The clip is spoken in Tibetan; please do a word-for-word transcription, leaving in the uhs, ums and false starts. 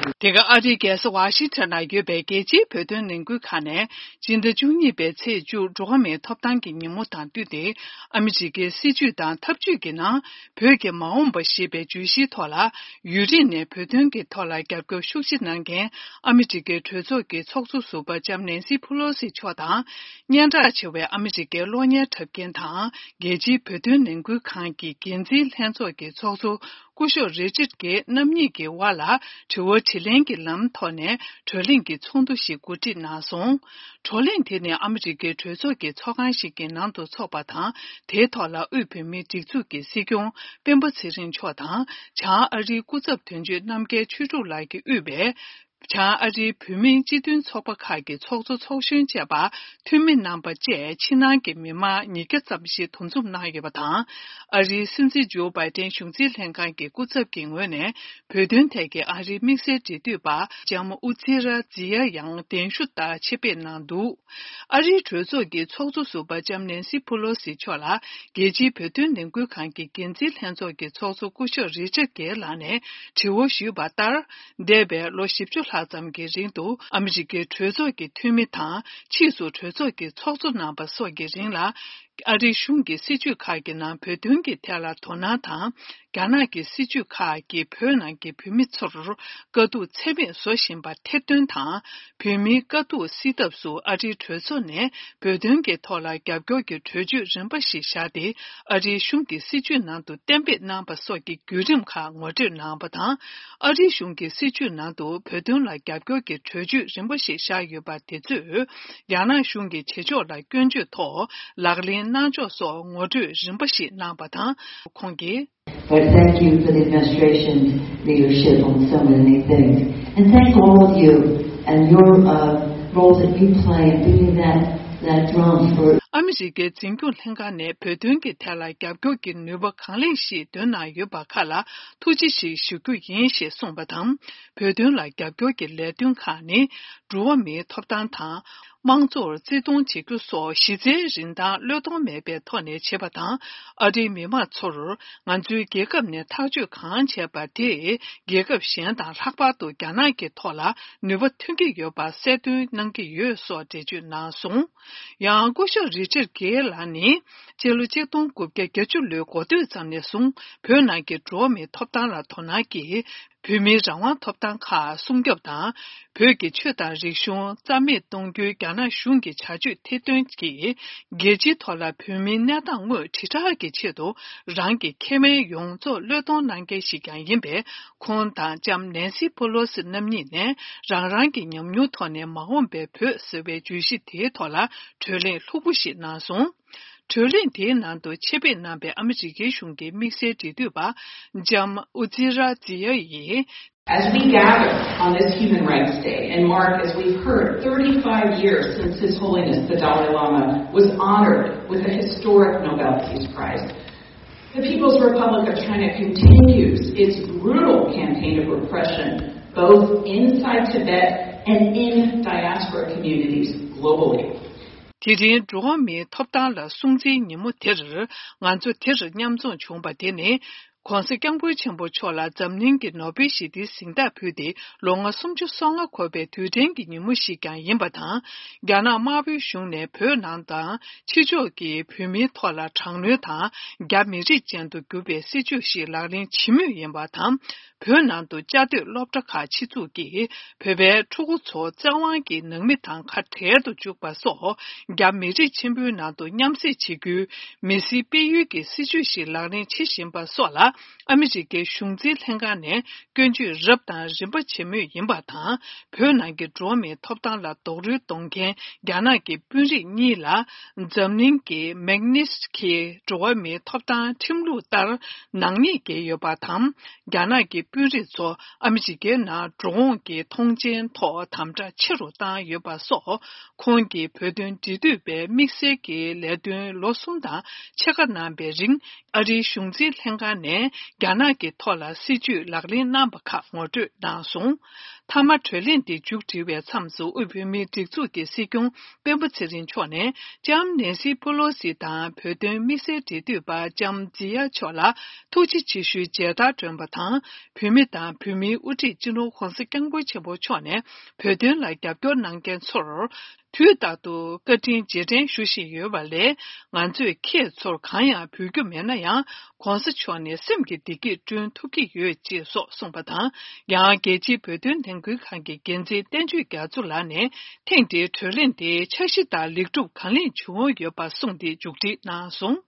དེ་ག་ཨ་རིའི་རྒྱལ་ས་ཝ་ཤིང་ཊོན་ན་ཡོད་པའི་རྒྱལ་སྤྱིའི་བོད་དོན་ལས་འགུལ་ཁང་ནས། སྤྱི་ཟླ་བཅུ་གཉིས་པའི་ཚེས་བཅུ། འགྲོ་བ་མིའི་ཐོབ་ཐང་གི་ཉིན་མོ་དང་བསྟུན་ཏེ། ཨ་མི་རི་ཀའི་སྲིད་བྱུས་དང་འཐབ་ཇུས་ཀྱི་ནང་། བོད་ཀྱི་མ་འོངས་པ་ཞེས་པའི་བརྗོད་གཞིའི་ཐོག་ལ། ཡུན་རིང་ནས་བོད་དོན་གྱི་ཐོག་ལ་རྒྱབ་སྐྱོར་ཤུགས་ཆེ་གནང་མཁན། ཨ་མི་རི་ཀའི་གྲོས་ཚོགས་ཀྱི་ཚོགས་གཙོ་ཟུར་པ་ལྕམ་ནེན་སི་ཕུ་ལོ་སི་མཆོག་དང་། སྙན་གྲགས་ཆེ་བའི་ཨ་མི་རི་ཀའི་གློག་བརྙན་འཁྲབ་མཁན་དང་། རྒྱལ་སྤྱིའི་བོད་དོན་ལས་འགུལ་ཁང་གི་འགན་འཛིན་ལྷན་ཚོགས་ཀྱི་ཚོགས་གཙོ། སྐུ་ཞབས་རི་ཅར་གྷེ་རྣམ་གཉིས་ཀྱི་དབར་ལ་དྲི་བ་དྲིས་ལན་གྱི་ལམ་ཐོག་ནས་བགྲོ་གླེང་གི་ཚོགས་འདུ་ཞིག་གོ་སྒྲིག་གནང་སོང་། བགྲོ་གླེང་དེ་ནི་ཨ་མི་རི་ཀའི་གྲོས་ཚོགས་ཀྱི་ཚོགས་ཁང་ཞིག་གི་ནང་དུ་འཚོགས་པ་དང་། དེའི་ཐོག་ལ་དབུས་བོད་མིའི་སྒྲིག་འཛུགས་ཀྱི་སྲིད་སྐྱོང་སྤེན་པ་ཚེ་རིང་མཆོག་དང་། བྱང་ཨ་རིའི་སྐུ་ཚབ་དོན་གཅོད་རྣམ་རྒྱལ་ཆོས་གྲུབ་ལགས་ཀྱིས་དབུས་པའི། བྱང་ཨ་རིའི་བོད་མིའི་སྤྱི་མཐུན་ཚོགས་པ་ཁག་གི་ཚོགས་གཙོ་ཚོགས་གཞོན་བཅས་པ་འཐུས་མི་རྣམ་པ་བཅས་ཕྱི་ནང་གི་མི་མང་ཉིས་བརྒྱ་ཙམ་ཞིག་འདུ་འཛོམས་གནང་ཡོད་པ་དང་། ཨ་རིའི་སྲིད་འཛིན་ཇོ་བྷའི་ཏན་གཞུང་འཛིན་ལྷན་ཁང་གི་སྐུ་ཚབ་ཀྱི་ངོས་ནས་བོད་དོན་ཐད་ཀྱི་ཨ་རིའི་དམིགས་བསལ་འབྲེལ་མཐུད་པ་ལྕམ་ཨུ་ཛི་ར་ཛི་ཡ་ཡང་གདན་ཞུ་ལྟར་ཆེད་ཕེབས་གནང་འདུག་ཨ་རིའི་གྲོས་ཚོགས་ཀྱི་ཚོགས་གཙོ་ཟུར་པ་ལྕམ་ནེན་སི་ཕུ་ལོ་སི་མཆོག་ལ་རྒྱལ་སྤྱིའི་བོད་དོན་ལས་འགུལ་ཁང་གི་འགན་འཛིན་ལྷན་ཚོགས་ཀྱི་ཚོགས་གཙོ་སྐུ་ཞབས་རི་ཅར་གྷེ་ལགས་ནས་དྲི་བ་ཞུས་པ་ལྟར། འདས་པའི་ལོ་བཞི་བཅུ་ལྷག་ཙམ་གྱི་རིང་དུ་ཨ་མི་རི་ཀའི་གྲོས་ཚོགས་ཀྱི་འཐུས་མི་དང་ཕྱིས་སུ་གྲོས་ཚོགས་ཀྱི་ཚོགས་གཙོ་གནང་པ་སོགས་ཀྱི་རིང་ལ། ཨ་རིའི་གཞུང་གི་སྲིད་བྱུས་ཁག་གི་ནང་བོད་དོན་གྱི་ཐད་ལ་དོ་སྣང་དང་། རྒྱ་ནག་གི་སྲིད་བྱུས་ཁག་གིས་བོད་ནང་གི་བོད་མི་ཚོར་དཀའ་སྡུག་ཚད་མེད་བཟོ་བཞིན་པ་ཐེར་འདོན་དང་། བོད་མིའི་དཀའ་སྡུག་སེལ་ཐབས་སུ་ཨ་རིའི་གྲོས་ཚོགས་ནས་བོད་དོན་གྱི་ཐོག་ལ་རྒྱབ་སྐྱོར་གྱི་གྲོས་ཆོད་རིམ་པ་ཞིག་བཞག་སྟེ། ཨ་རིའི་གཞུང་གི་སྲིད་བྱུས་ནང་དུ་གཏན་འབེབས་གནང་པ་སོགས་ཀྱི་བརྒྱུད་རིམ་ཁག་ངོ་སྤྲོད་གནང་བ་དང་། ཨ་རིའི་གཞུང་གི་སྲིད་བྱུས་ནང་དུ་བོད་དོན་ལ་རྒྱབ་སྐྱོར་གྱི་གྲོས་ཆོད་རིམ་པ་ཞིག་བཞག་ཡོད་པ་དེ་ཚོས། རྒྱ་ནག་གཞུང་གི་བྱེད་ཕྱོགས་ལ་སྐྱོན་བརྗོད་ཐོག་ལག་ལེན་གནང་ཕྱོགས་སོགས་ངོ་སྤྲོད་རིམ་པ་ཞིག་གནང་བ་དང་། ཁོང་གིས། But thank you for the administration's leadership on so many things. And thank all of you and your uh, role that you play in beating that, that drum for. ཨ་མི་རི་ཀའི་འཛིན་སྐྱོང་ལྷན་ཁང་ནས་བོད་དོན་གྱི་ཐད་ལ་རྒྱབ་སྐྱོར་གྱི་ནུས་པ་གང་ལེགས་ཤིག་འདོན་གནང་ཡོད་པ་ཁག་ལ་ཐུགས་རྗེ་ཆེ་ཞུ་རྒྱུ་ཡིན་ཞེས་གསུངས་པ་དང་། བོད་དོན་ལ་རྒྱབ་སྐྱོར་གྱི་ལས་དོན་ཁག་ནི། འགྲོ་བ་མིའི་ཐོབ་ཐང་དང་། དམངས་གཙོར་བརྩི་མཐོང་བྱེད་རྒྱུ་སོགས་གཞི་རྩའི་རིན་ཐང་བློས་གཏོང་མེད་པའི་ཐོག་ནས་བྱེད་པ་དང་། ཨ་རིའི་མི་མང་ཚོར་ང་ཚོའི་རྒྱལ་ཁབ་ནས་ཐག་གཅོད་གང་བྱས་པ་དེ་རྒྱལ་ཁབ་གཞན་དང་ལྷག་པར་དུ་རྒྱ་ནག་གི་ཐོག་ལ་ནུས་པ་ཐོན་གྱི་ཡོད་པ་གསལ་སྟོན་གནང་གི་ཡོད་སོགས་འགྲེལ་བརྗོད་གནང་སོང་། ཡང་སྐུ་ཞབས་རི་ཅར་གྷེ་ལགས་ནི་སྤྱི་ལོ་ཆིག་སྟོང་དགུ་བརྒྱ་བརྒྱད་ཅུ་ལོའི་འགོ་སྟོད་ཙམ་ནས་བཟུང་བོད་ནང་གི་འགྲོ་བ་མིའི་ཐོབ་ཐང་ལ་དོ་སྣང་གིས། བོད་མིའི་རང་དབང་ཐོབ་ཐང་ཁག་སྲུང་སྐྱོབ་དང་། བོད་ཀྱི་ཆོས་དང་རིག་གཞུང་རྩ་མེད་གཏོང་རྒྱུའི་རྒྱ་ནག་གཞུང་གི་བྱ་སྤྱོད་ཐེར་འདོན་གྱིས། རྒྱལ་སྤྱིའི་ཐོག་ལ་བོད་མིའི་གནས་སྟངས་དངོས་དྲིལ་བསྒྲགས་ཀྱི་ཆེད་དུ། རང་གི་ཁེ་ཕན་ཡོངས་རྫོགས་བློས་གཏོང་གནང་མཁན་ཞིག་ཀྱང་ཡིན་པས། ཁོང་དང་ལྕམ་ནེན་སི་ཕུ་ལོ་སི་རྣམ་གཉིས་ནས། རང་རང་གི་ཉམས་མྱོང་ཐོག་ནས་མ་འོངས་པའི་བོད་ཟེར་བའི་བརྗོད་གཞི་དེའི་ཐོག་ལ་བགྲོ་གླེང་ལྷུག་པོ་ཞིག་གནང་སོང་། བགྲོ་གླེང་དེའི་ནང་དུ་ཆེད་ཕེབས་གནང་པའི་ཨ་མི་རི་ཀའི་གཞུང་གི་དམིགས་བསལ་འབྲེལ་མཐུད་པ་ལྕམ་ཨུ་ཛི་ར་ཛི་ཡ་ཡིས། As we gather on this Human Rights Day and mark, as we've heard, thirty-five years since His Holiness the Dalai Lama was honored with the historic Nobel Peace Prize, the People's Republic of China continues its brutal campaign of repression both inside Tibet and in diaspora communities globally. དེ་རིང་འགྲོ་བ་མིའི་ཐོབ་ཐང་ལ་སྲུང་བརྩིའི་ཉིན་མོ་དེར། ང་ཚོ་དེར་མཉམ་འཛོམས་བྱུང་པ་དེ་ནི། ༸གོང་ས་༸སྐྱབས་མགོན་ཆེན་པོ་མཆོག་ལ་འཛམ་གླིང་གི་ནོ་བེལ་ཞི་བདེའི་གཟེངས་རྟགས་ཕུལ་ཏེ་ལོ་ངོ་སུམ་ཅུ་སོ་ལྔ་འཁོར་བའི་དུས་དྲན་གྱི་ཉིན་མོ་ཞིག་ཀྱང་ཡིན་པ་དང་། རྒྱ་ནག་དམར་པོའི་གཞུང་ནས་བོད་ནང་དང་ཕྱི་ཕྱོགས་ཀྱི་བོད་མིའི་ཐོག་ལ་དྲག་གནོན་དང་། རྒྱ་མི་རིགས་ཅན་དུ་གྱུར་པའི་སྲིད་བྱུས་ཤིག་ལག་ལེན་བྱེད་མུས་ཡིན་པ་དང་། བོད་ནང་དུ་བཅའ་སྡོད་སློབ་གྲྭ་ཁག་ཆེད་འཛུགས་ཀྱིས་བོད་པའི་ཕྲུ་གུ་ཚོ་བཙན་དབང་གིས་ནང་མི་དང་ཁ་བྲལ་དུ་བཅུག་པ་སོགས། རྒྱ་མི་རིགས་ཆེན་པོའི་ནང་དུ་མཉམ་བསྲེས་བྱེད་རྒྱུའི་མི་སེར་སྤེལ་ཡུལ་གྱི་སྲིད་བྱུས་ཤིག་ལག་ལེན་བྱེད་བཞིན་པ་སོགས་ལ། ཨ་མི་རི་ཀའི་གཞུང་འཛིན་ལྷན་ཁང་ནས་སྐྱོན་བརྗོད་རབ་དང་རིམ་པ་བྱེད་མུས་ཡིན་པ་དང་། བོད་ནང་གི་འགྲོ་བ་མིའི་ཐོབ་ཐང་ལ་རྡོག་རོལ་གཏོང་མཁན་རྒྱ་ནག་གི་དཔོན་རིགས་གཉིས་ལ། འཛམ་གླིང་གི་མེག་ནིས་ཁི་འགྲོ་བ་མིའི་ཐོབ་ཐང་ཁྲིམས་ལུགས་ལྟར་ནག་ཉེས་འགེལ་ཡོད་པ་དང་། རྒྱ་ནག་གི་དཔོན་རིགས་ཚོ་ཨ་མི་རི་ཀའི་ནང་འགྲོ་འོང་གི་མཐོང་མཆན་ཐོག་དམ་དྲག་ཆེ་རུ་བཏང་ཡོད་པ་སོགས། ཁོང་གིས་བོད་དོན་འབྲེལ་མཐུད་པའི་དམིགས་བསལ་གྱི་ལས་དོན་ལོ་གསུམ་དང་ཕྱེད་ཀ་གནང་པའི་རིང་། ཨ་རིའི་གཞུང་འཛིན་ལྷན་ཁང་ནས་རྒྱ་ནག་གི་ཐོག་ལ་སྲིད་བྱུས་ལག་ལེན་གནང་པ་ཁག་ངོ་སྤྲོད་གནང་སོང་། མཐའ་མ་གྲོས་གླེང་དེ་མཇུག་སྒྲིལ་བའི་མཚམས་སུ། དབུས་བོད་མིའི་སྒྲིག་འཛུགས་ཀྱི་སྲིད་སྐྱོང་སྤེན་པ་ཚེ་རིང་མཆོག་ནས་ལྕམ་ནེན་སི་པོ་ལོ་སི་དང་བོད་དོན་དམིགས་བསལ་འབྲེལ་མཐུད་པ་ལྕམ་ཛི་ཡ་མཆོག་ལ་ཐུགས་རྗེ་ཆེ་ཞུའི་མཇལ་དར་སྒྲོན་པ་དང་། བོད་མི་དང་བོད་མིའི་དབུ་ཁྲིད་སྤྱི་ནོར་༧གོང་ས་༧སྐྱབས་མགོན་ཆེན་པོ་མཆོག་ནས་བོད་དོན་ལ་རྒྱབ་སྐྱོར་གནང་མཁན་ཚོར་དུས་རྟག་ཏུ་བཀའ་དྲིན་རྗེས་དྲན་ཞུ་བཞིན་ཡོད་པ་ལས། ང་ཚོས་ཁྱེད་ཚོར་གང་ཡང་འབུལ་རྒྱུ་མེད་ན་ཡང་། ༧གོང་ས་མཆོག་ནས་སེམས་ཀྱི་བདེ་སྐྱིད་བསྐྲུན་ཐུབ་ཀྱི་ཡོད། ཅེས་སོགས་གསུངས་པ་དང་། ཡང་རྒྱལ་སྤྱིའི་བོད་དོན་ལས་འགུལ་ཁང་གི་འགན་འཛིན་བསྟན་ཆོས་རྒྱ་མཚོ་ལགས་ནས་ཐེངས་འདིའི་གྲོས་གླེང་དེ་འཆར་གཞི་ལྟར་ལེགས་གྲུབ་གང་ལེགས་བྱུང་ཡོད་པ་གསུངས་ཏེ་མཇུག་སྒྲིལ་གནང་སོང་།